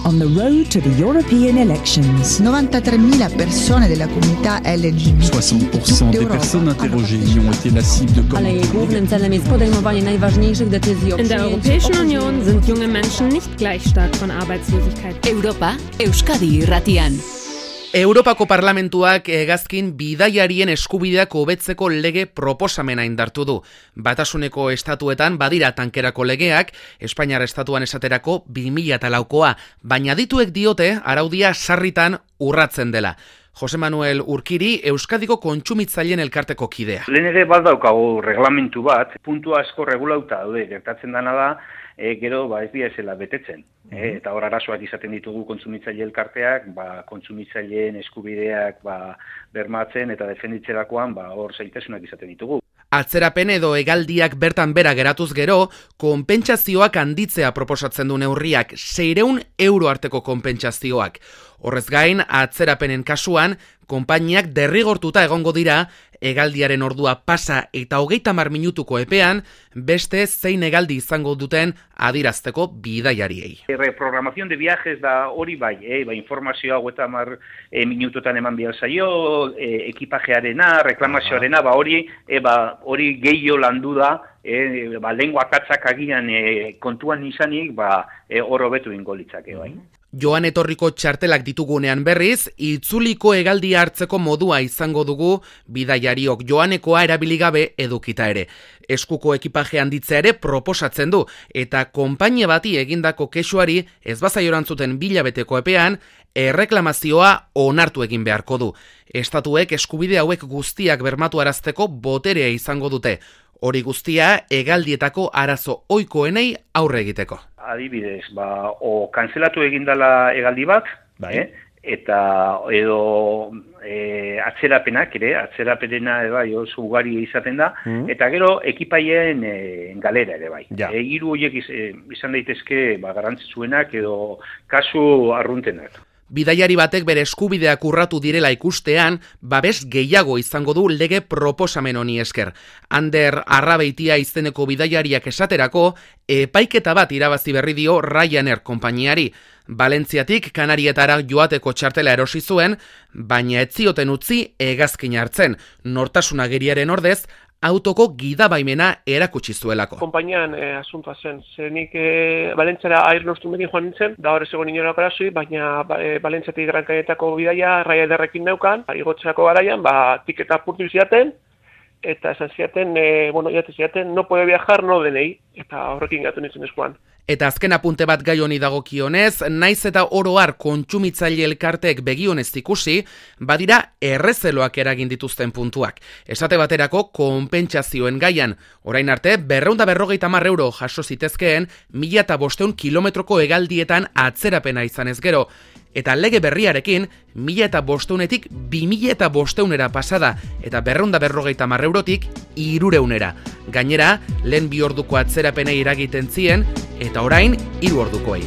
on the road to the European elections. 93.000 persone della comunità LGBT. 60% des personnes interrogées y ont été la cible de commentaires. In der Europäischen Union sind junge Menschen nicht gleich stark von Arbeitslosigkeit. Europa, Euskadi irratian. Europako Parlamentuak hegazkin bidaiarien eskubideak hobetzeko lege proposamena indartu du. Batasuneko estatuetan badira tankerako legeak, Espainiar estatuan esaterako 2004koa, baina adituek diote araudia sarritan urratzen dela. Jose Manuel Urkiri, Euskadiko kontsumitzaileen elkarteko kidea. Lehen ere baldaukagu reglamentu bat, puntu asko regulauta daude, gertatzen dana da, gero ez dira esela betetzen. Eta hor arazoak izaten ditugu kontsumitzaile elkarteak, kontsumitzaileen eskubideak bermatzen eta defenditzerakoan hor zailtasunak izaten ditugu. Atzerapen edo hegaldiak bertan bera geratuz gero, konpentsazioak handitzea proposatzen du neurriak, 600 euro arteko konpentsazioak. Horrez gain, atzerapenen kasuan, konpainiak derrigortuta egongo dira, hegaldiaren ordua pasa eta 30 minutuko epean, beste zein hegaldi izango duten adirazteko bidaiariei. Reprogramación de viajes da hori bai, informazioa 30 minututan eman behar zaio, ekipajearena, reklamazioarena, hori gehiago landu da, lengua katzak agian kontuan izanik, hor hobetu ingo litzake bai. Joan etorriko txartelak ditugunean berriz, itzuliko hegaldia hartzeko modua izango dugu bidaiariok joanekoa erabili gabe edukita ere. Eskuko ekipaje handitzea ere proposatzen du, eta konpainia bati egindako kexuari ez bazaiorantzuten bilabeteko epean, erreklamazioa onartu egin beharko du. Estatuek eskubide hauek guztiak bermatu arazteko boterea izango dute. Hori guztia hegaldietako arazo ohikoenei aurre egiteko. Adibidez, o kanzelatu egindala hegaldi bat, eta edo atzerapenak ere, atzerapenena oso ugari izaten da, eta gero ekipaien galera ere bai. Hiru horiek izan daitezke garrantzitsuenak edo kasu arruntenak. Bidaiari batek bere eskubideak urratu direla ikustean, babes gehiago izango du lege proposamen honi esker. Ander Arrabeitia izeneko bidaiariak esaterako, epaiketa bat irabazi berri dio Ryanair konpainiari. Valentziatik Kanarietara joateko txartela erosi zuen, baina ez zioten utzi hegazkina hartzen. Nortasun agiriaren ordez, autoko gidabaimena erakutsi zuelako. Konpainian asuntoa zen, zenik Valentziara airnostumekin joan nintzen, da hor ez egon inorako arazoi, baina Valentziatik Gran Canarietako bidaia Ryanairrekin neukan, igotzerako garaian, tiketa apurtu ziaten, eta esan ziaten, no puede viajar, no denei, eta horrekin gatu nintzen eskuan. Eta azken apunte bat gai honi dagokionez, naiz eta oro har kontsumitzaile elkarteek begionez ikusi, badira errezeloak eragin dituzten puntuak. Esate baterako konpentsazioen gaian, orain arte 250 euro jaso zitezkeen 1500 kilometroko hegaldietan atzerapena izanez gero. Eta lege berriarekin, 1500etik 2500era pasada, eta 250 eurotik 300era. Gainera, lehen 2 orduko atzerapenei eragiten zien, eta orain 3 ordukoei.